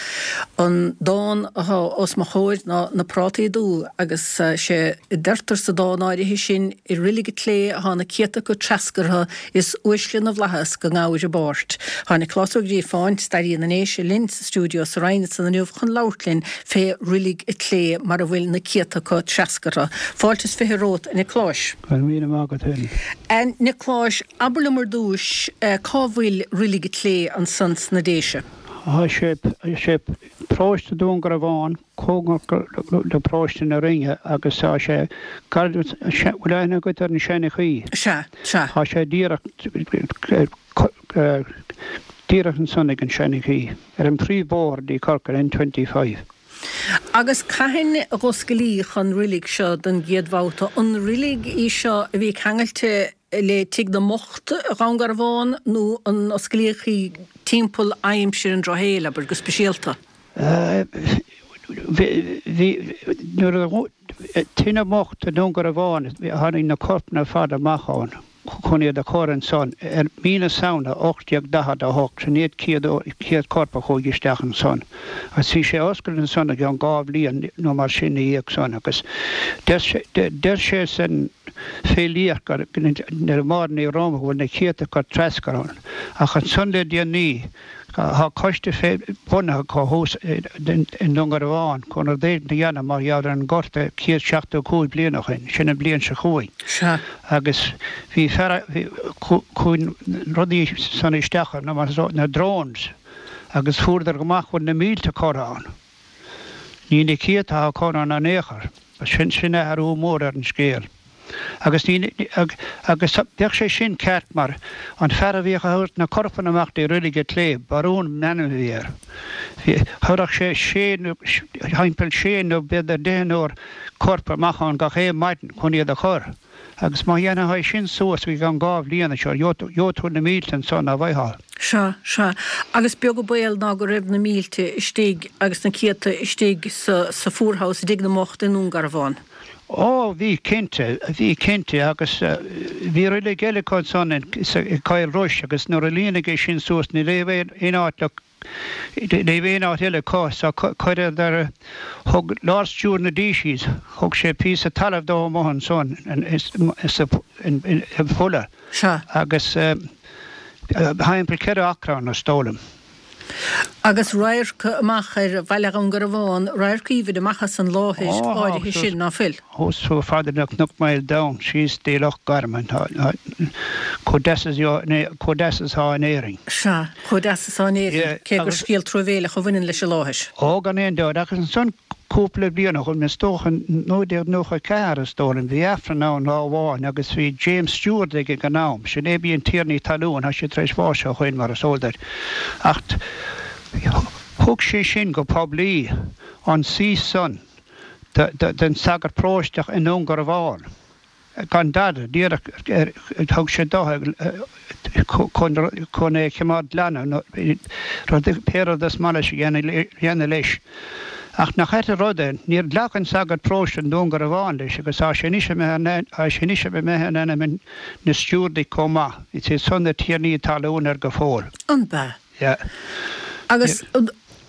An dán atá os mo chomhair ná Na Prátaí Dubha agus sé a deirtear sa dán áirithe sin, I roilig an tslé athá na céadta acu treascartha is uaisle na bhflaitheas go ngabhair a bpáirt. Tá Nioclás Ó Gríofáin, stairí na nDéise, linn sa stiúideo sa Rinn ansan inniu chun labhairt linn fé roilig an tslé mar a bhfuil na céadta acu treascartha. Fáilte is 20 romhat, a Niocláis. Go raibh míle maith agat féin. A Niocláis, abair liom ar dtúis cá bhfuil roilig an tslé ansan sna Déise? Tá sé, sé paróiste Dún Garbhán cóngarach do paróiste na Rinne agus tá sé gar, bhfuil aithne agat ar an Seanchaí? Sea, sea. Tá sé díreach, díreach ansan ag an Seanchaí, ar an príomhbhóthar dtí Corcaigh, N25. Agus cathain a dh'oscailíodh an roilig seo don gcéad bhabhta? An roilig í seo a bhí ceangailte le Tigh na mBocht Dhún Garbhán nó an osclaíodh í timpeall aimsir an drochshaoil, abair, go speisialta? Bhí, nuair a, Tigh na mBocht i nDún Garbhán, tháinig na corpanna ar fad amach ann chun iad a chur ansan ar mí na Samhna 1848, sin iad chéad corp a chuaigh isteach ansan. Agus bhí sé oscailte ansan i gceann dhá bhliain nó mar sin ina dhiaidh san agus deir sé san filíocht gur le Máire Ní Roma go bhfuil na céadta acu treascartha ann. Ach ansan le déanaí tá coiste bunaithe acu thuas i nDún Garbhán chun rud éigin a dhéanamh mar gheall ar an ngorta 175 bliain ó shin, sin an bhliain seo chugainn. Sea. Agus bhí fear, chuaigh rudaí san isteach na drones agus fuaireadar amach go bhfuil na mílte curtha ann. Ní na céadta atá curtha ann in aon chor. Sin, sin athrú mór ar an scéal. Agus ní, agus bheadh sé sin ceart mar an fear a bhíodh a thabhairt na corpanna amach dtí Reilig an tSlé, Barún an ainm a bhí air. Bhí, thabharfadh sé sé nó, thimpeall sé nó b'fhéidir deichniúr corp amach ann gach aon maidin chun iad a chur. Agus má dhéanfá é sin suas i gceann dhá bhliain seo, gheobhaidh tú na mílte ansan, ná bhfaightheá. Sea, sea. Agus beag an baol ná go raibh na mílte istigh agus na céadta istigh sa, sa Poorhouse i dTigh na mBocht i nDún Garbhán. Ó, bhí cinnte, bhí cinnte agus bhí roilig eile acu ansan i gCoill Rois agus nuair a líonadh é sin suas ní raibh aon áit le, Ní raibh aon áit eile acu so chuireadar, thug Lord Steward na Decies, thug sé píosa talaimh dóibh amuigh ansan i bhFola agus thimpeall cheithre acra ann is dóigh liom. Agus radharc amach ar bhaile Dhún Garbhán, radharc aoibhinn amach as an láthair áirithe sin, ná fuil? Thuas chomh fada le Cnoc Maol Donn síos dtí Loch Garman, chomh deas is chomh deas is atá in Éirinn. Sea, chomh deas is atá in Éirinn, cé gur scéal truamhéileach a bhaineann leis an láthair. Ó, gan aon dabht, agus ansan cúpla bliain ó shin, is dócha 1994 is dóigh liom, bhí Aifreann ann lá amháin agus bhí James Stewart ag an am, sin é a bhí ina tiarna talún, tá sé tar éis bháis ó shoin mar is eol duit, ach thug sé sin go poiblí an suí san. den sagart paróisteach i nDún Garbhán. Gan dada, díreach thug sé dó chun é a choimeád glan nó pé rud is maith leis a dhéanamh leis. Ach nach ait an rud é, níor ghlac an sagart paróiste i nDún Garbhán leis agus tá sé anois imithe in ainm na Stiúrdaigh chomh maith. Is iad san na tiarnaí talún air go fóill. An b'ea? Yeah. Agus,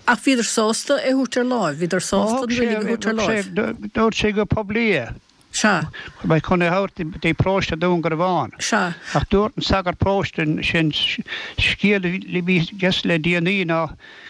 ach bhíodar sásta é thabhairt ar láimh, bhíodar sásta an roilig a thabhairt ar láimh. Dúirt sé go poiblí é. Sea. Go mbeidh chun é thabhairt dtí paróiste Dún Garbhán. Sea. Ach dúirt an sagart paróiste sin scéal a bhí aige le déanaí ná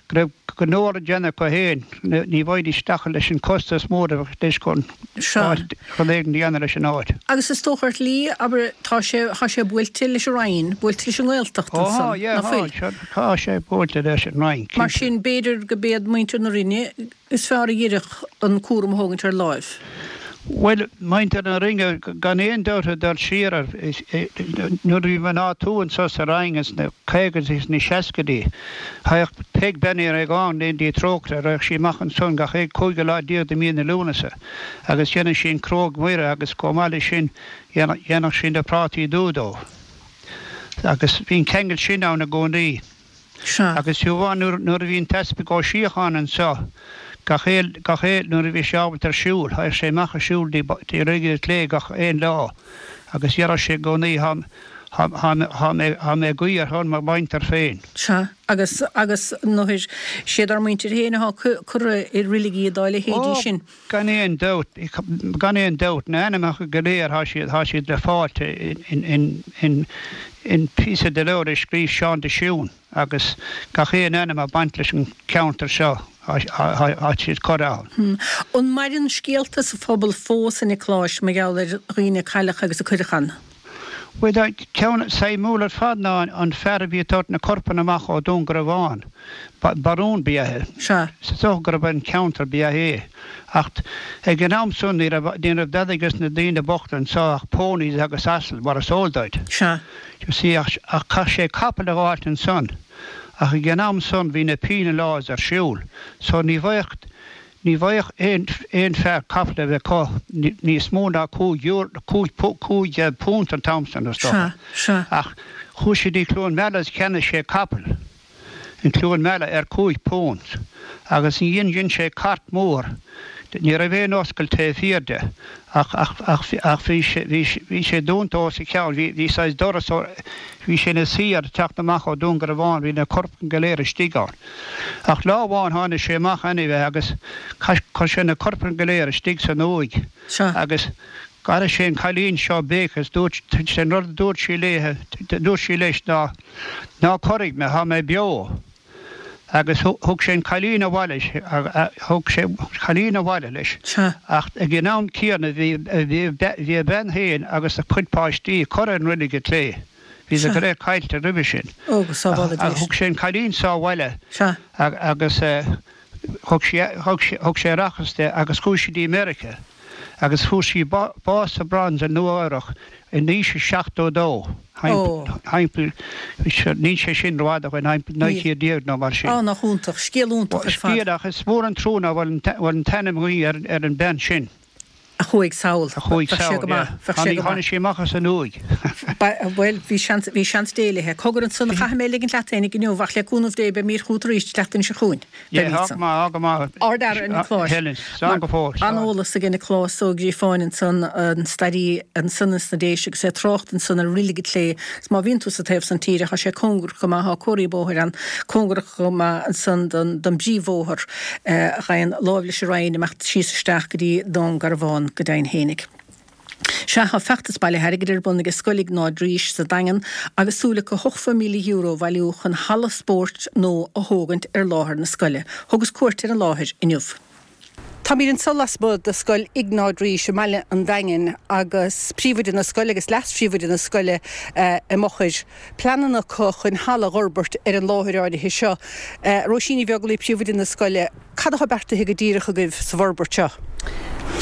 go raibh go leor le déanamh acu féin, ní bhfaighidís isteach leis an costas mór a bheadh leis chun rud éigin a dhéanamh leis an áit. Agus is dócha ar shlí, abair, tá sé, tá sé buailte leis an Roinn, buailte leis an nGaeltacht ansan, ná fuil? Tá sé buailte leis an Roinn, cinnte. Mar sin, b'fhéidir go b'iad muintir na Rinne is fearr a d'oirfeadh an cúram a thógaint ar láimh. Bhuel, muintir na Rinne, gan aon dabht ag dul siar ar, nuair a bhí mná tuaithe anseo sa Rinn ins na caogaidí is na seascaidí, thagadh Peig Bean Uí Réagáin in Léim Trócaire, raghadh sí amach ansan gach aon cúigiú lá déag de mí na Lúnasa agus dhéanadh sí an Cruóg Mhuire agus chomh maith leis sin dhéanadh sí na prátaí dubha dóibh. Agus bhí an ceangal sin ann i gcónaí. Sea. Agus fiú amháin nuair, nuair a bhí an tEaspag Ó Síocháin anseo, gach aon, gach aon, nuair a bhí sé ábalta ar siúl, thagadh sé amach ag siúl dtí, dtí Reilig an tSléibhe gach aon lá agus dheireadh sé i gcónaí, thá, thá, thá, thá mé, thá mé ag guí ar shon mo mhuintir féin. Sea. Agus, agus nuair, siad ár muintir féin athá curtha i reiligí dá leithéidí Ó, sin. gan aon dabht, gan aon dabht, na hainmneacha go léir, thá siad, thá siad le fáilt in, in, in, in píosa de leabhar a scríobh Seán de Siún agus gach aon ainm a baint leis an cheantar seo, thá, thá, thá siad curtha ann. An maireann scéalta sa phobal fós, a Niocláis, mar gheall ar dhaoine a cailleadh agus a cuireadh ann? Bhuel, tá ceann suimiúil ar fad ná an fear a bhí ag tabhairt na corpanna amach ó Dún Garbhán. Barún ba ea é. Sea. Is dócha gurb ón cheantar ba ea é. Ach ag an am san ní raibh, ní raibh dadaidh ag na daoine bochta anseo ach ponies agus asail, mar is eol duit. Sea. You see, ach, ach chaith sé capall a dh'fháilt ansan. Ach ag an am san bhí na penal laws ar siúl. So ní bhfaigheadh, Ní bhfaigheadh aon fear capall a bheith acu níos mó ná £5 an t-am san, is dócha. Ach chuaigh sé dtí Cluain Meala is cheannaigh sé capall in Cluain Meala ar £5 agus ansin dhein sé cairt mhór. Ní raibh aon oscailt taobh thiar de ach bhí sé dúnta os a chionn, bhí saghas doras, bhí sé ina suí air ag teacht amach ó Dún Garbhán, bhí na corpanna go léir istigh ann. Ach lá amháin tháinig sé amach anyway agus chuir sé na corpanna go léir istigh san uaigh agus d'airigh sé an cailín seo ag béiceadh is dúirt sé an rud a dúirt sí léithe, dúirt sí leis ná, ná corraigh mé, tá mé beo. Agus thug sé an cailín abhaile, thug sé an cailín abhaile leis. Ach ag an am céanna bhí, bhí a bhean féin agus a cuid páistí curtha in Reilig an tSléibhe. Bhíodar go léir caillte roimhe sin. Ó, go sábhála Dia. Thug sé an cailín so abhaile agus thug sé aireachas di agus chuaigh sí dtí Meiriceá agus fuair sí bás sa Bronx i Nua Eabhrac in aois a 72. Thimpeall, níl sé sin rófhada ó shin, thimpeall 1900 nó mar sin. Á, nach iontach. Scéal iontach ar fad. Scéal, ach is mór an trua nach bhfuil an t-ainm againn ar an bhean sin. A chuaigh sall. A chuaigh sall, yeah. Bheadh sé go maith. Tháinig sí amach as an uaigh. Bhuel, bhí seans, bhí seans Dé léithe. Cogar ansan a chaithfidh mé ligint leat fhéinig inniu, ach le cúnamh Dé beidh mír chugat arís an tseachtain seo chugainn. Yeah, tá go maith, tá go maith. Ard-fhear é Nioclás. Helen, slán go fóill. An-eolas aige Nioclás Ó Gríofáin ansan, an staraí ansan ins na Déise agus é ag trácht ansan ar Reilig an tSléibhe. Agus má bhíonn tú sa taobh san tíre, tá sé cóngarach go maith, tá comharthaí bóthair ann, cóngarach go maith ansan don bpríomhbhóthar a ghabhann láimh leis an Rinn imeacht síos isteach go dtí Dún Garbhán go deimhin fhéinig. Sea, tá feachtas bailithe airgid ar bun aige Scoil Iognáid Rís sa Daingean agus súil acu €80,000 a bhailiú chun halla spóirt nua a thógaint ar láthair na scoile. Thugas cuairt ar an láthair inniu. Táimid anseo lasmuigh de Scoil Iognáid Rís i mbaile an Daingin agus príomhoide na scoile agus leas-phríomhoide na scoile i m'fhochair. Pleananna acu chun halla a dh'fhorbairt ar an láthair áirithe seo. Róisín Ní Bheaglaoí, príomhoide na scoile, cad atá beartaithe go díreach agaibh sa bhforbairt seo?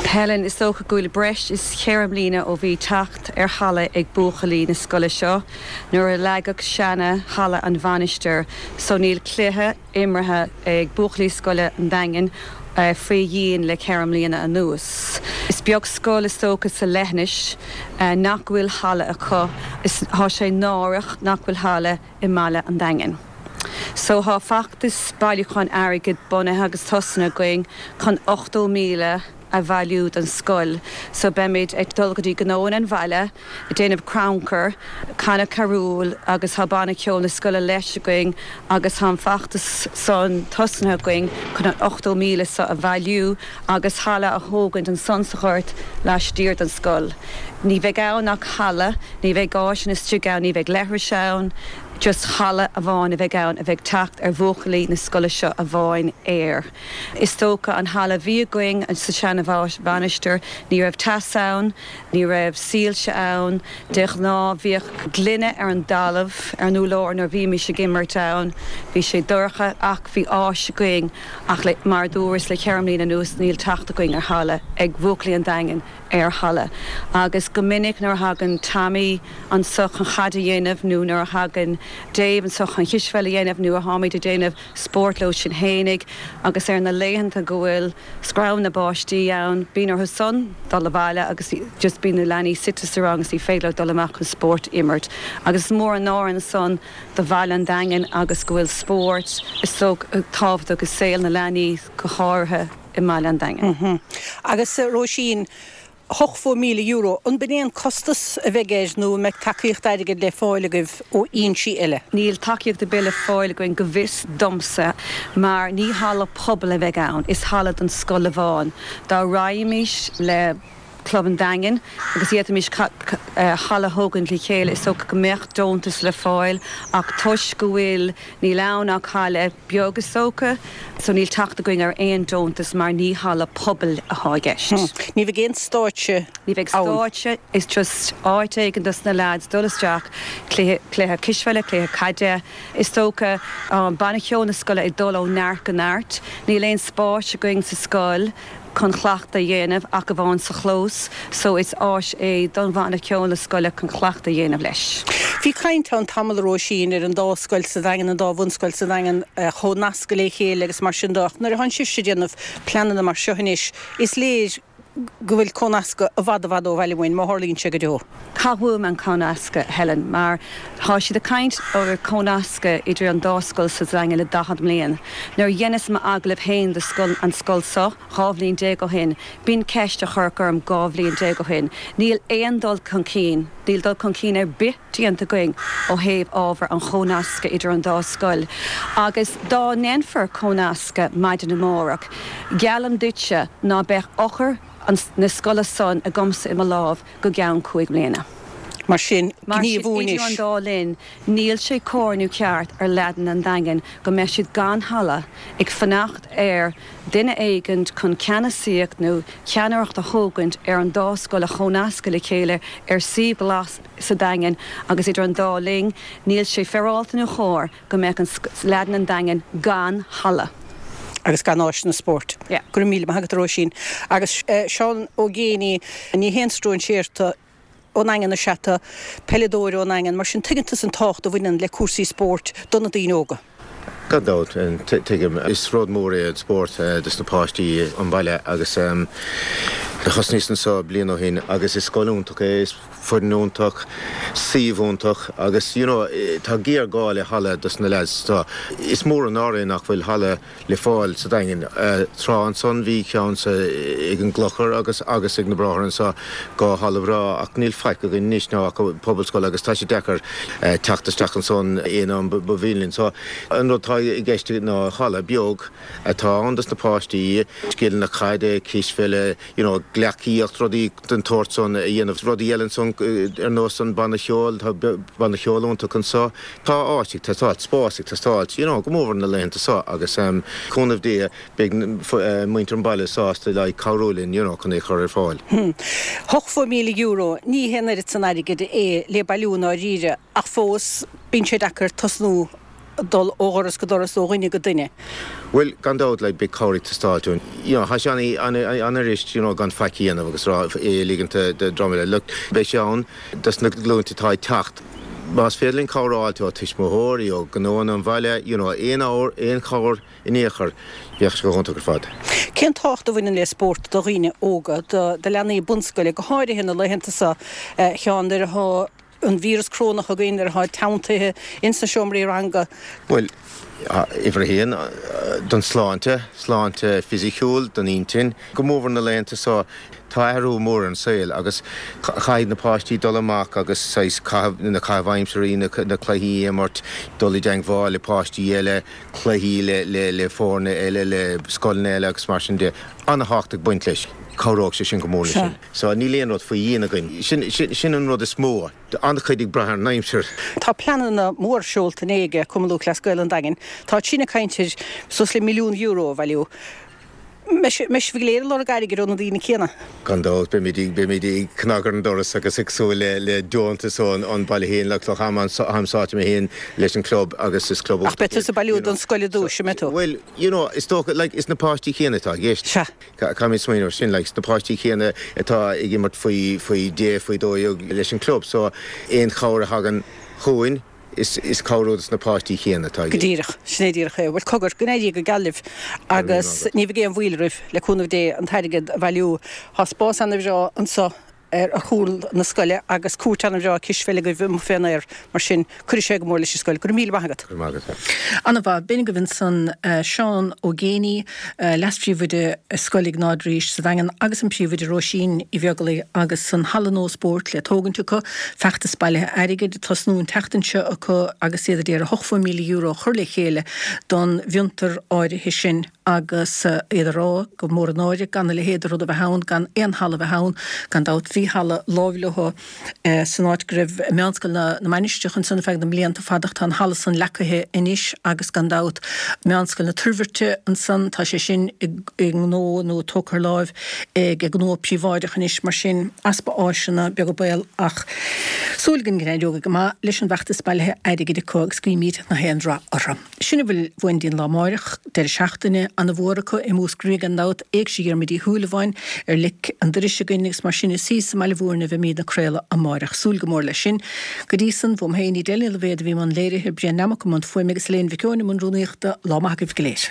Helen, Is dócha go bhfuil breis is cheithre mbliana ó bhí teacht ar halla ag buachaillí na scoile seo nuair a leagadh seana halla an mhainistir so níl cluiche imeartha ag buachaillí scoile an Daingin faoi dhíon le ceithre mbliana anuas. Is beag scoil is dócha sa leithinis nach bhfuil halla acu. Is tá sé náireach nach bhfuil halla i mbaile an Daingin. So tá feachtas bailiúcháin airgid bunaithe agus tosnaithe againn chun 80,000 a bhailiú don scoil. So beimid ag dul go dtí gnóanna an bhaile, ag déanamh crannchur, canadh carúil agus tá banna ceoil na scoile leis againn agus tá an feachtas san tosnaithe againn chun an 80,000 so a bhailiú agus halla a thógaint ansan sa ghort laistiar den scoil. Ní bheidh ann ach halla, ní bheidh áiseanna istigh ann, ní bheidh leithris ann. Just halla amháin a bheidh ann a bheidh teacht ar bhuachaillí na scoile seo amháin air. Is dócha an halla a bhí againn sa seana-mhainistir, ní raibh teas ann, ní raibh soilse ann, de ghnáth bhíodh gloine ar an dtalamh, ar an úrlár nuair a bhímis ag imirt ann, bhí sé dorcha ach bhí áis againn ach le, mar a dúras, le cheithre mbliana anuas níl teacht againn ar halla ag buachaillí an Daingin. ar halla. Agus go minic nuair a thagann Tommy anso chun chaid a dhéanamh nó nuair a thagann Dave anso chun chispheil a dhéanamh nó a tháimid ag déanamh spóirt leo sinn fhéinig agus ar na laethanta go bhfuil screamh na báistí ann bíonn orthu san dul abhaile agus just bíonn na leanaí suite sa rang agus ní féidir leo dul amach chun spórt a imirt. Agus is mór an náire ansan do bhaile an Daingin agus go bhfuil spórt is dócha tábhachtach i saol na leanaí go háirithe. i mbaile an Daingin. Agus Róisín, €80,000, an b'in é an costas a bheidh air nó an mbeidh tacaíocht airgid le fáil agaibh ó fhoinsí eile? Níl tacaíocht ar bith le fáil againn go bhfios domsa mar ní halla pobail a bheidh ann, is halla don scoil amháin. Dá raghaimis le Club an Daingin agus d'fhéadfaimis halla a thógaint le chéile, is dócha go mbeadh deontas le fáil ach toisc go bhfuil, níl ann ach halla beag is dócha, so níl teacht againn ar aon deontas mar ní halla pobail atá i gceist. Ní bheidh aon stáitse ann? Ní bheidh stáitse, is just áit éigin dos na leaids dul isteach, cluiche, cluiche cispheile, cluiche caide, is dócha. Banna ceoil na scoile ag dul ó neart go neart. Níl aon spáis againn sa scoil. chun cleachtadh a dhéanamh ach amháin sa chlós so is áis é don bhanna ceoil na scoile chun cleachtadh a dhéanamh leis. Bhí caint ann tamall, a Róisín, ar an dá scoil sa Daingean, an dá bhunscoil sa Daingean a chomhnascadh le chéile agus mar sin de ach nuair atánn sibhse ag déanamh pleananna mar seo anois is léir go bhfuil comhnascadh i bhfad i bhfad ó bhaile uainn, má tharlaíonn sé go deo. Caithfidh uaim an comhnascadh, Helen, mar tá siad ag caint ar comhnascadh idir an dá scoil sa Daingean le 40 mbliain. Nuair a dheineas m'agallamh féin do scoil, an scoil so, 12 bhliain ó shin, b'in ceist a cuireadh orm 12 bhliain ó shin. Níl aon dul chun cinn, níl dul chun cinn ar bith déanta againn ó thaobh ábhar an chomhnascadh idir an dá scoil. Agus dá ndéanfar comhnascadh maidin amárach, geallaim duitse ná beadh eochair an, na scoile san agamsa i mo láimh go gceann chúig mbliana. Mar sin, Mar sin, gníomhú idir anois. an dá linn, níl sé cóir nó ceart ar leaideanna an Daingin go mbeadh siad gan halla, ag fanacht ar duine éigint chun ceannasaíocht nó ceannaireacht a thógaint ar an dá scoil a chomhnascadh le chéile ar suíomh glas sa Daingean agus idir an dá linn, níl sé féaráilte nó chóir go mbeadh an leaideanna an Daingin gan halla. agus gan áiseanna spóirt. Yeah. Go raibh míle maith agat a Róisín. Agus Seán Ó Géibheannaigh, ní haon stróinséir tú, ón nDaingean is ea tú, peileadóir ón nDaingean, mar sin tuigeann tusa an tábhacht a bhaineann le cúrsaí spóirt do na daoine óga. Gan dabht, tuigim. Is rud mór é an spórt dos na páistí an baile agus thosnaíos anseo bliain ó shin agus is scoil iontach é, is foireann iontach, suíomh iontach agus you know tá géarghá le halla dos na leaids. Tá, is mór an náire é nach bhfuil halla le fáil sa Daingean. Tráth ansan bhí ceann sa, ag an gClochar agus agus ag na Bráithre anso, dhá halla bhreá ach níl faic againn anois ná ach pobalscoil agus tá sé deacair teacht isteach ansan aon am ba mhian linn. So an rud atá i gceist ná halla beag atá ann dos na páistí, scileanna caide, cispheile, you know, gleacaíocht, rudaí den tsórt san a dhéanamh. Rudaí eile ansan ar nós an banna cheoil, tá banna cheoil iontach anso. Tá áit ag teastáilt, spás ag teastáilt, you know, go mórmhór na laethanta seo agus cúnamh Dé beidh muintir an bhaile sásta like cabhrú linn, you know, chun é a chur ar fáil. €80,000, ní hé an oiread san airgid é le bailiú i ndáiríre ach fós bíonn sé deacair tosnú dul ó dhoras go doras, ó dhuine go duine. Bhuel, gan dabht, like, beidh cabhair ag teastáilt uainn. You know, tá sé an-fhuirist, you know, gan faic a dhéanamh agus rá é a ligint do dream eile. Look, beidh sé ann dos na glúinte atá ag teacht. Más féidir linn cabhair a fháilt ó tuismitheoirí, ó ghnóanna an bhaile, you know, aon abhar, aon chabhair in aon chor, bheadh sé go hiontach ar fad. Cén tábhacht a bhaineann le spórt do dhaoine óga, do leanaí bunscoile, go háirithe na laethanta seo, a Sheáin, nuair atá an víreas corónach againn, nuair atá teanntaithe ins na seomraí ranga? Bhuel, uimhir a haon, don sláinte, sláinte fisiciúil, don intinn. Go mórmhór na laethanta seo, tá athrú mór ar an saol agus caithfidh na páistí dul amach agus saghas caitheamh, na caithimh aimsirí, na cluichí a imirt, dul i dteangmháil le páistí eile, cluichí le foirne eile, le scoileanna eile agus mar sin de. An-thábhacht ag baint leis. Cabhróidh sé sin go mór leis sin. So níl aon rud faoi dhíon againn. Sin, sin, sin an rud is mó. An-chuid ag brath ar an aimsir. Tá pleananna mór seolta inné ag Cumann Lúthchleas Gael an Daingin. Tá siad ag caint ar suas le €1,000,000 a bhailiú. Mbeidh sibh go léir ag lorg airgid ó na daoine céanna? Gan dabht, beimid ag, beimid ag cnag ar an doras agus ag súil le, le deontas ón, ón baile féin, le Cloch Táim sáite mé féin leis an club agus is club Ach beidh tusa ag bailiú don scoil i dtús, an mbeidh tú? Bhuel, you know, is dócha, like, is na páistí céanna atá i gceist. Sea. Caithfimid smaoineamh ar sin, like, na páistí céanna atá ag imirt faoi, faoi deich, faoi 12 leis an club, so aon chabhair a thagann chugainn, is, is cabhrú dos na páistí céanna atá i Go díreach, sin é díreach é. Bhuel, cogar, go n-éirí go geal libh agus ní bheidh aon mhoill oraibh, le cúnamh Dé, an t-airgead a bhailiú. Tá spás ana-bhreá anso ar chúl na scoile agus cúirt ana-bhreá cispheile agaibh amuigh fén aer, mar sin cuirfidh sé go mór leis an scoil. Go raibh míle maith agat. Go raibh maith agat. Ana-mhaith. B'in agaibh ansan Seán Ó Géibheannaigh, Leas-Phríomhoide Scoil Iognáid Rís sa Daingean agus an Príomhoide Róisín Uí Bheaglaoi agus an halla nua spóirt le tógaint acu, feachtas bailithe airgid ag tosnú an tseachtain seo acu agus iad ag iarraidh €80,000 a chur le chéile don bhfiontar áirithe sin. agus iad ag rá gur mór an náire gan a leithéid de rud a bheith ann, gan aon halla a bheith ann. Gan dabht bhí halla láimh leo san áit go raibh Meánscoil na Mainistreach ansan ar feadh na mblianta fada ach tá an halla san leacaithe anois agus gan dabht Meánscoil na Toirbhirte ansan, tá sé sin i ngnó nó tógtha ar láimh ag gnó príobháideach anois mar sin easpa áiseanna, beag an baol ach súil againn go n-éireoidh go maith leis an bhfeachtas bailithe airgid acu agus guímid nach aon rath orthu. Sin a bhfuil uainn go dtí an lá amáireach, deireadh seachtaine ana-mhór acu i Múscraí gan dabht, Éigse Dhiarmuid Uí Shúilleabháin ar lic an dorais againn agus mar sin is thíos i mBaile Mhúirne a bheimíd ag craoladh amáireach. Súil go mór leis sin. Go dtí san, uaim féin, Edel Ní Loibhéad a bhí i mbun léirithe, Brian Nammock i mbun fuaime agus Elaine Mhic Eoin i mbun rúnaíochta, lá maith agaibh go léir.